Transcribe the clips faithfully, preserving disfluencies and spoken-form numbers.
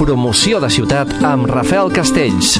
Promoció de ciutat amb Rafael Castells.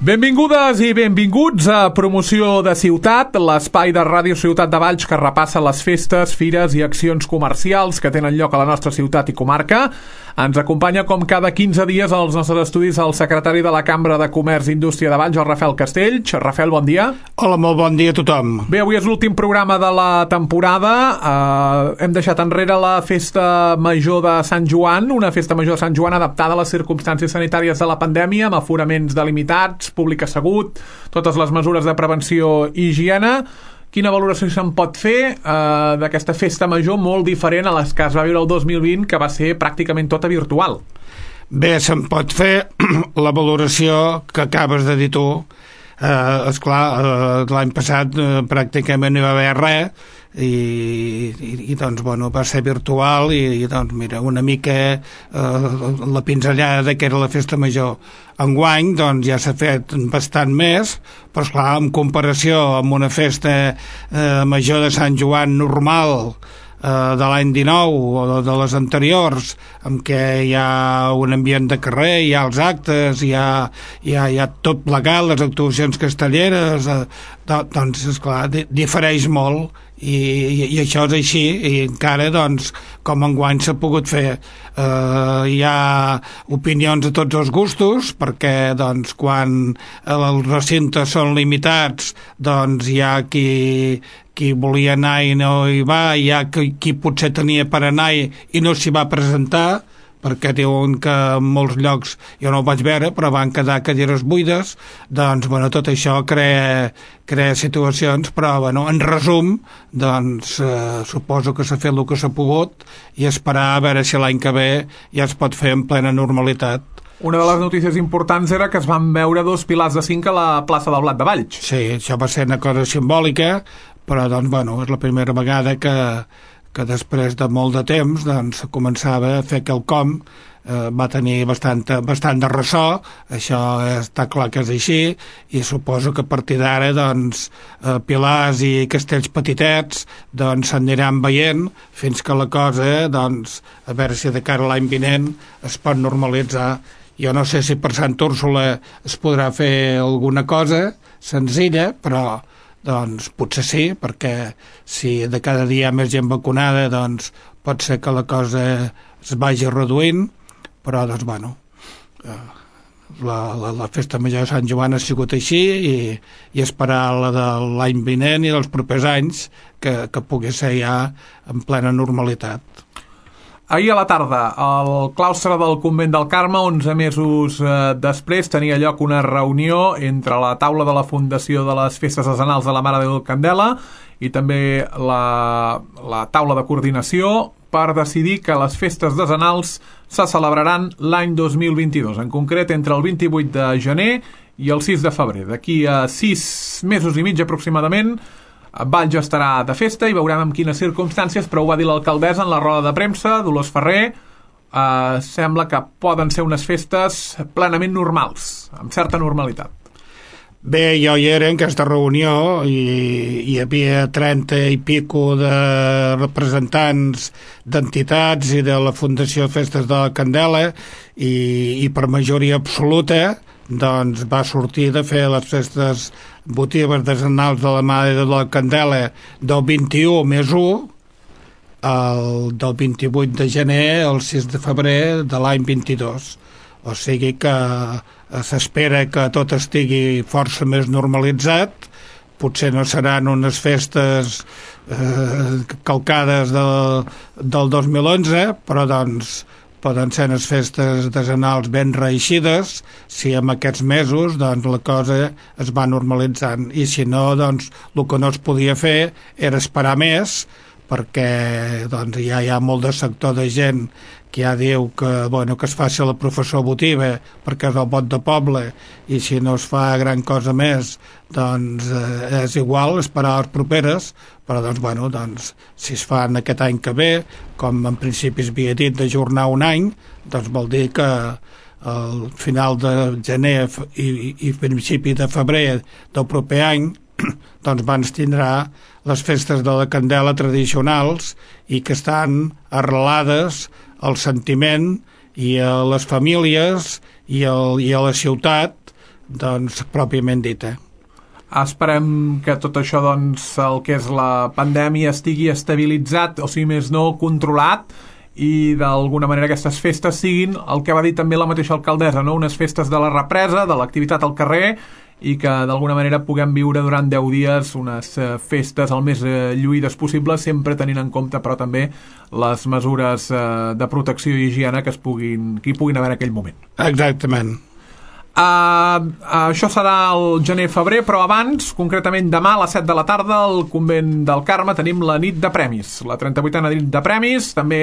Benvingudes i benvinguts a Promoció de Ciutat, l'espai de Ràdio Ciutat de Valls que repassa les festes, fires i accions comercials que tenen lloc a la nostra ciutat i comarca. Ens acompanya com cada quinze dies als nostres estudis el secretari de la Cambra de Comerç i Indústria de Valls, el Rafael Castells. Rafael, bon dia. Hola, molt bon dia a tothom. Bé, avui és l'últim programa de la temporada. Uh, hem deixat enrere la Festa Major de Sant Joan, una Festa Major de Sant Joan adaptada a les circumstàncies sanitàries de la pandèmia, amb aforaments delimitats, públic assegut, totes les mesures de prevenció i higiene. Quina valoració se'n pot fer eh, d'aquesta festa major molt diferent a les que es va viure el dos mil vint, que va ser pràcticament tota virtual? Bé, se'n pot fer la valoració que acabes de dir tu. Eh, esclar, eh, l'any passat eh, pràcticament no hi va haver res i, i, i doncs, bueno, va ser virtual i, i doncs, mira, una mica eh, la pinzellada de que era la festa major. Enguany, doncs, ja s'ha fet bastant més, però, esclar, en comparació amb una festa eh, major de Sant Joan normal eh, de l'any dinou o de les anteriors, en què hi ha un ambient de carrer, hi ha els actes, hi ha, hi ha, hi ha tot plegat, les actuacions castelleres, eh, doncs, esclar, difereix molt. I, i, i això és així i encara doncs com enguany s'ha pogut fer eh, hi ha opinions de tots els gustos perquè doncs quan els recintes són limitats doncs hi ha qui, qui volia anar i no hi va, hi ha qui, qui potser tenia per anar i, i no s'hi va presentar perquè diuen que en molts llocs jo no ho vaig veure, però van quedar cadires buides, doncs, bueno, tot això crea, crea situacions, però, bueno, en resum, doncs, eh, suposo que s'ha fet el que s'ha pogut i esperar a veure si l'any que ve ja es pot fer en plena normalitat. Una de les notícies importants era que es van veure dos pilars de cinc a la plaça del Blat de Valls. Sí, això va ser una cosa simbòlica, però, doncs, bueno, és la primera vegada que que després de molt de temps doncs, començava a fer quelcom, eh, va tenir bastant, bastant de ressò, això està clar que és així, i suposo que a partir d'ara doncs, eh, pilars i castells petitets doncs s'aniran veient fins que la cosa, doncs, a veure si de cara a l'any vinent es pot normalitzar. Jo no sé si per Sant Úrsula es podrà fer alguna cosa senzilla, però doncs potser sí, perquè si de cada dia hi ha més gent vacunada doncs pot ser que la cosa es vagi reduint, però doncs bueno la, la, la festa major de Sant Joan ha sigut així i, i esperar la de l'any vinent i dels propers anys que, que pugui ser ja en plena normalitat. Ahir a la tarda, al claustre del Convent del Carme, onze mesos eh, després, tenia lloc una reunió entre la taula de la Fundació de les Festes Decenals de la Mare de Déu Candela i també la, la taula de coordinació per decidir que les festes decenals se celebraran l'any dos mil vint-i-dos, en concret entre el vint-i-vuit de gener i el sis de febrer. D'aquí a sis mesos i mig aproximadament, Valls estarà de festa i veurem en quines circumstàncies, però ho va dir l'alcaldessa en la roda de premsa, Dolors Ferrer. Eh, sembla que poden ser unes festes plenament normals, amb certa normalitat. Bé, jo hi era en aquesta reunió i hi havia trenta i pico de representants d'entitats i de la Fundació Festes de la Candela i, i per majoria absoluta doncs va sortir de fer les festes votives decenals de la Mare de la Candela del vint-i-u més u, el del vint-i-vuit de gener al sis de febrer de l'any vint-i-dos. O sigui que s'espera que tot estigui força més normalitzat. Potser no seran unes festes eh, calcades del, del dos mil onze, però doncs poden ser unes festes decenals ben reeixides si en aquests mesos doncs, la cosa es va normalitzant i si no, doncs, el que no es podia fer era esperar més perquè doncs, ja hi ha molt de sector de gent que ja diu que, bueno, que es faci la professó votiva perquè és el vot de poble i si no es fa gran cosa més doncs eh, és igual esperar les properes, però doncs, bueno, doncs, si es fan aquest any que ve, com en principi es havia dit d'ajornar un any, doncs vol dir que al final de gener i, i principi de febrer del proper any doncs van tindrà les festes de la Candela tradicionals i que estan arrelades al sentiment i a les famílies i, el, i a la ciutat, doncs, pròpiament dita. Esperem que tot això, doncs, el que és la pandèmia estigui estabilitzat, o sigui, més no controlat, i d'alguna manera aquestes festes siguin el que va dir també la mateixa alcaldessa, no? Unes festes de la represa, de l'activitat al carrer, i que d'alguna manera puguem viure durant deu dies unes eh, festes el més eh, lluïdes possible, sempre tenint en compte però també les mesures eh, de protecció i higiene que es puguin, que hi puguin haver en aquell moment. Exactament. Uh, uh, això serà el gener-febrer, però abans, concretament demà a les set de la tarda, al Convent del Carme tenim la nit de premis, la trenta-vuitena nit de premis, també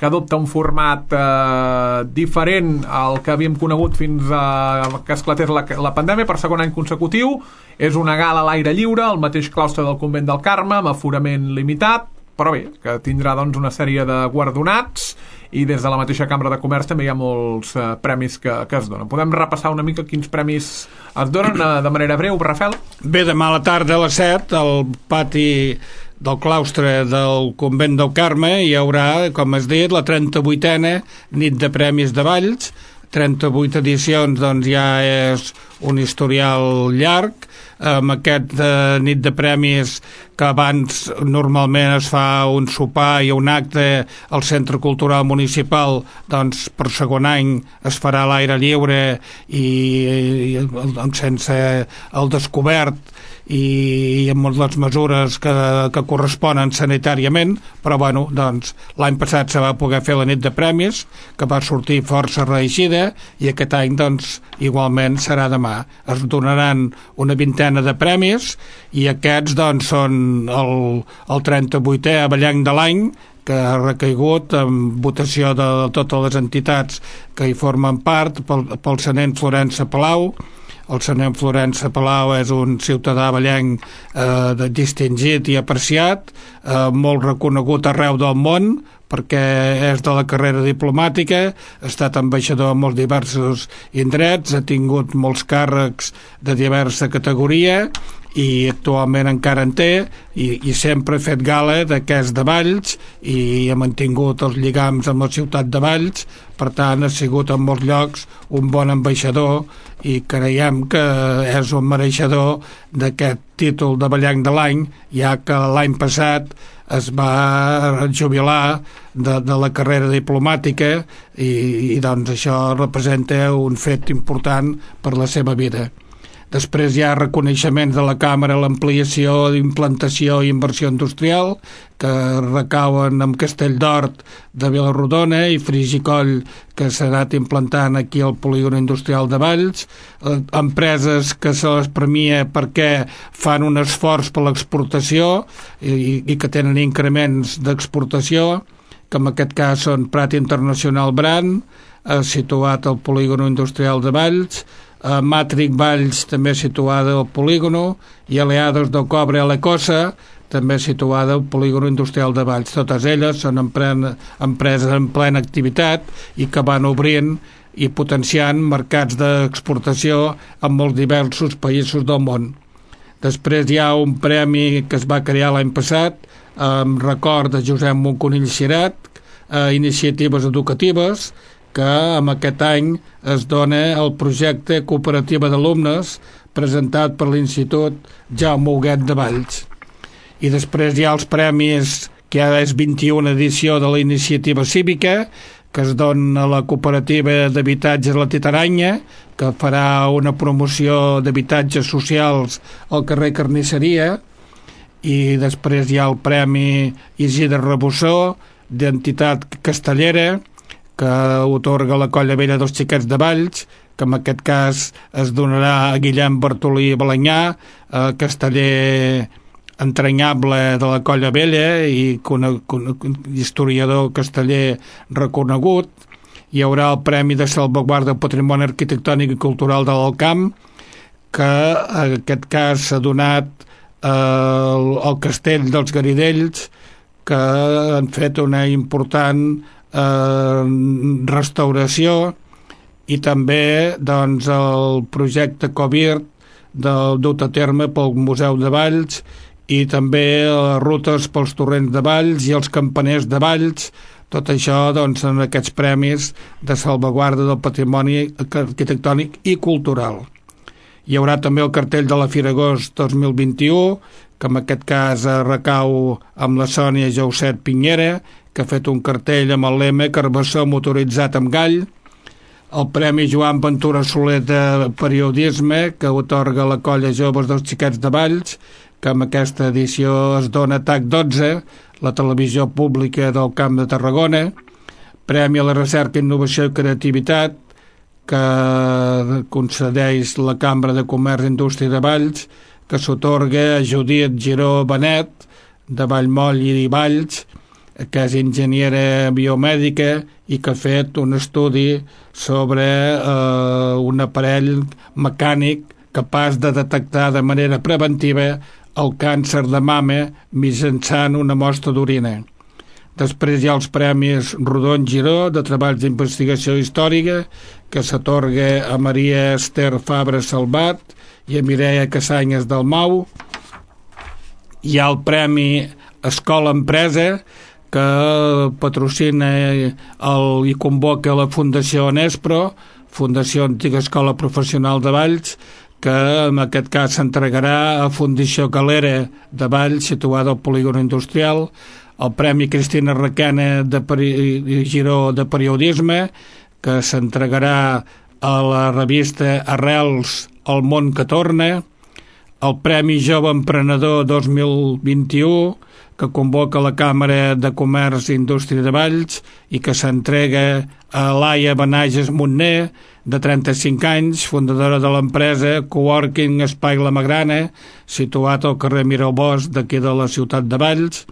que adopta un format eh, diferent al que havíem conegut fins a que esclatés la, la pandèmia per segon any consecutiu. És una gala a l'aire lliure, al mateix claustre del Convent del Carme, amb aforament limitat, però bé, que tindrà doncs una sèrie de guardonats, i des de la mateixa Cambra de Comerç també hi ha molts eh, premis que, que es donen. Podem repassar una mica quins premis es donen eh, de manera breu, Rafael? Bé, demà a la tarda a les set, al pati del claustre del Convent del Carme hi haurà, com has dit, la trenta-vuitena nit de premis de Valls. trenta-vuit edicions, doncs ja és un historial llarg. Amb aquest eh, nit de premis, que abans normalment es fa un sopar i un acte al Centre Cultural Municipal, doncs per segon any es farà a l'aire lliure i, i doncs, sense el descobert i amb les mesures que, que corresponen sanitàriament, però bueno, doncs l'any passat se va poder fer la nit de premis, que va sortir força reeixida, i aquest any doncs igualment serà demà. Es donaran una vintena de premis, i aquests doncs són el, el trenta-vuitè avellanc de l'any, que ha recaigut en votació de totes les entitats que hi formen part, pel, pel senent Florença Palau. El senyor Florença Palau és un ciutadà avellanc eh, distingit i apreciat, eh, molt reconegut arreu del món, perquè és de la carrera diplomàtica, ha estat ambaixador en molts diversos indrets, ha tingut molts càrrecs de diversa categoria i actualment encara en té, i, i sempre ha fet gala d'aquest de Valls i ha mantingut els lligams amb la ciutat de Valls. Per tant, ha sigut en molts llocs un bon ambaixador i creiem que és un mereixedor d'aquest títol de avellanc de l'any, ja que l'any passat es va jubilar de, de la carrera diplomàtica i, i doncs això representa un fet important per la seva vida. Després hi ha reconeixements de la Càmera a l'ampliació d'implantació i inversió industrial, que recauen amb Castelldort de Vilarrodona i Frigicoll, que s'ha anat implantant aquí al polígon industrial de Valls, eh, empreses que se les premia perquè fan un esforç per l'exportació i, i que tenen increments d'exportació, que en aquest cas són Prat Internacional Brand, eh, situat al polígon industrial de Valls, Uh, Matric Valls, també situada al polígono, i Aleados del Cobre a l'Ecosa, també situada al polígono industrial de Valls. Totes elles són empren, empreses en plena activitat i que van obrint i potenciant mercats d'exportació en molts diversos països del món. Després hi ha un premi que es va crear l'any passat en record de Josep Monconill Cirat, uh, iniciatives educatives, que amb aquest any es dona el projecte Cooperativa d'Alumnes presentat per l'Institut Jaume Huguet de Valls. I després hi ha els premis, que ara és vint-i-una edició de la iniciativa cívica, que es dona a la Cooperativa d'Habitatges La Titaranya, que farà una promoció d'habitatges socials al carrer Carnisseria, i després hi ha el Premi Isidre Rebossó, d'entitat castellera, que otorga la Colla Vella dels Xiquets de Valls, que en aquest cas es donarà a Guillem Bartolí Balanyà, eh, casteller entranyable de la Colla Vella i con, con, historiador casteller reconegut. Hi haurà el Premi de Salvaguarda del Patrimoni Arquitectònic i Cultural de l'Alt Camp, que en aquest cas s'ha donat eh, al Castell dels Garidells, que han fet una important Eh, restauració, i també doncs, el projecte Covirt del dut a terme pel Museu de Valls, i també les rutes pels torrents de Valls i els campaners de Valls, Tot això doncs, en aquests premis de salvaguarda del patrimoni arquitectònic i cultural. Hi haurà també el cartell de la Fira Agost dos mil vint-i-u, que en aquest cas recau amb la Sònia Jauset Pinyera, que ha fet un cartell amb el lema Carbassó motoritzat amb gall. El Premi Joan Ventura Soler de periodisme, que atorga la Colla Joves dels Xiquets de Valls, que en aquesta edició es dona T A C dotze, la televisió pública del Camp de Tarragona. Premi a la Recerca, Innovació i Creativitat, que concedeix la Cambra de Comerç i Indústria de Valls, que s'atorga a Judit Giró Benet, de Vallmoll i Valls, que és enginyera biomèdica i que ha fet un estudi sobre eh, un aparell mecànic capaç de detectar de manera preventiva el càncer de mama mitjançant una mostra d'orina. Després hi ha els Premis Rodon Giró de Treballs d'Investigació Històrica, que s'atorga a Maria Esther Fabra Salvat i a Mireia Casanyes del Mau. Hi ha el Premi Escola Empresa, que patrocina el, i convoca la Fundació Nespro, Fundació Antiga Escola Professional de Valls, que en aquest cas s'entregarà a Fundació Calera de Valls, situada al polígon industrial, el Premi Cristina Requena de Peri- Giró de Periodisme, que s'entregarà a la revista Arrels El món que torna, el Premi Jove Emprenedor dos mil vint-i-u, que convoca la Càmera de Comerç i Indústria de Valls i que s'entrega a Laia Benages Montner, de trenta-cinc anys, fundadora de l'empresa Coworking Espai La Magrana, situat al carrer Miralbós d'aquí de la ciutat de Valls.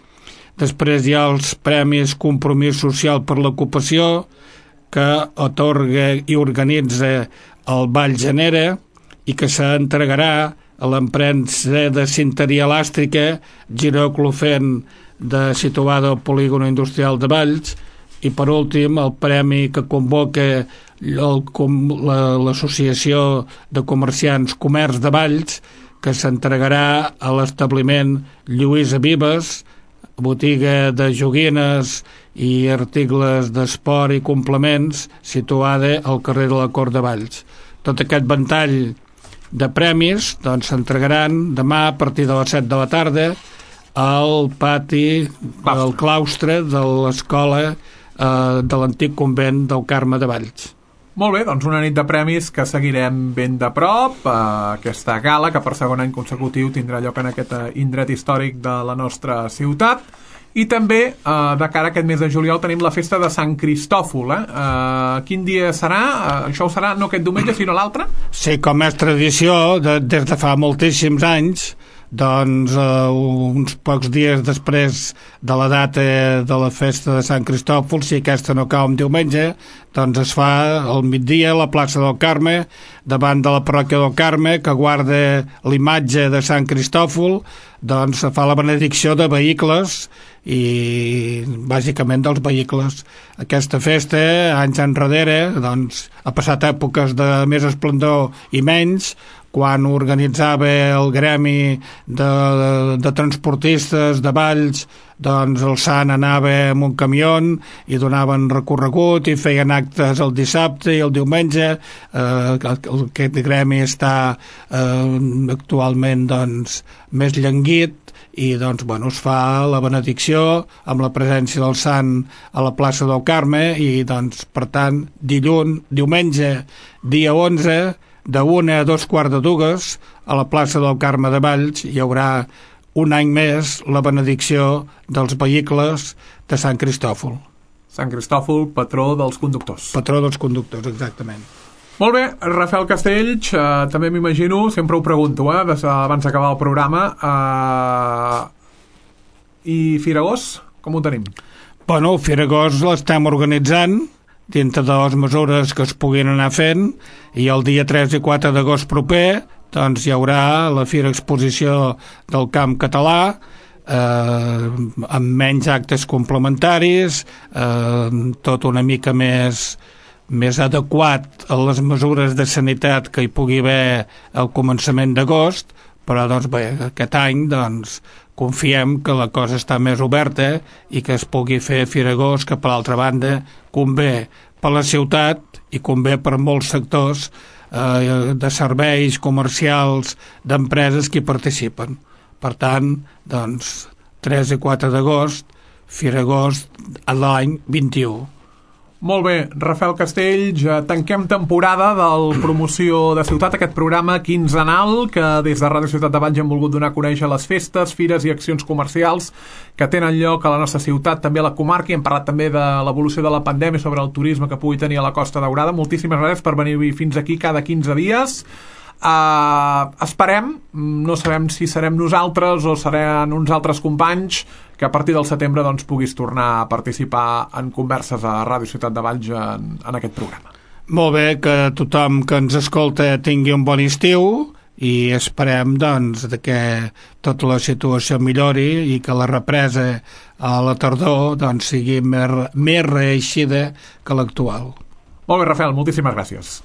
Després hi ha els Premis Compromís Social per l'Ocupació, que atorga i organitza el Vall Genera i que s'entregarà a l'empresa de cinteria elàstrica Giró Clofent, de, situada al polígon industrial de Valls. I per últim el premi que convoca l'Associació de Comerciants Comerç de Valls, que s'entregarà a l'establiment Lluïsa Vives, botiga de joguines i articles d'esport i complements, situada al carrer de la Cort de Valls. Tot aquest ventall de premis doncs s'entregaran demà a partir de les set de la tarda al pati del claustre de l'escola eh, de l'antic convent del Carme de Valls. Molt bé, doncs una nit de premis que seguirem ben de prop, eh, aquesta gala que per segon any consecutiu tindrà lloc en aquest indret històric de la nostra ciutat. I també, eh, de cara a aquest mes de juliol, tenim la festa de Sant Cristòfol. Eh? Eh, quin dia serà? Eh, això ho serà no aquest diumenge, sinó l'altre? Sí, com és tradició, de, des de fa moltíssims anys, doncs eh, uns pocs dies després de la data de la festa de Sant Cristòfol, si aquesta no cau en diumenge, doncs es fa al migdia a la plaça del Carme, davant de la parròquia del Carme, que guarda l'imatge de Sant Cristòfol, doncs fa la benedicció de vehicles i bàsicament dels vehicles. Aquesta festa, anys enrere, doncs, ha passat èpoques de més esplendor i menys, quan organitzava el gremi de, de, de transportistes de Valls, doncs el Sant anava amb un camió i donaven recorregut i feien actes el dissabte i el diumenge. Eh, aquest gremi està eh, actualment doncs, més llenguit i doncs, bueno, es fa la benedicció amb la presència del Sant a la plaça del Carme i doncs, per tant, dilluns, diumenge, dia onze, de una a dos quarts de dues, a la plaça del Carme de Valls hi haurà un any més la benedicció dels vehicles de Sant Cristòfol. Sant Cristòfol, patró dels conductors. Patró dels conductors, exactament. Molt bé, Rafael Castells, eh, també m'imagino, sempre ho pregunto, eh, des, abans d'acabar el programa, eh, i Firagós, com ho tenim? Bueno, Firagós l'estem organitzant dintre de les mesures que es puguin anar fent, i el dia tres i quatre d'agost proper doncs hi haurà la Fira Exposició del Camp Català, eh, amb menys actes complementaris, eh, tot una mica més, més adequat a les mesures de sanitat que hi pugui haver al començament d'agost, però doncs bé, aquest any doncs, confiem que la cosa està més oberta i que es pugui fer Fira Agost, que per l'altra banda convé per la ciutat i convé per molts sectors eh, de serveis comercials, d'empreses que hi participen. Per tant, doncs, tres i quatre d'agost, Fira Agost a l'any vint-i-u. Molt bé, Rafael Castells, tanquem temporada del Promoció de Ciutat, aquest programa quinzenal que des de Ràdio Ciutat de Valls hem volgut donar a conèixer les festes, fires i accions comercials que tenen lloc a la nostra ciutat, també a la comarca, i hem parlat també de l'evolució de la pandèmia sobre el turisme que pugui tenir a la Costa Daurada. Moltíssimes gràcies per venir fins aquí cada quinze dies. Uh, esperem, no sabem si serem nosaltres o seran uns altres companys, que a partir del setembre doncs, puguis tornar a participar en converses a Ràdio Ciutat de Valls en, en aquest programa. Molt bé, que tothom que ens escolta tingui un bon estiu i esperem doncs, que tota la situació millori i que la represa a la tardor doncs, sigui més, més reeixida que l'actual. Molt bé, Rafael, moltíssimes gràcies.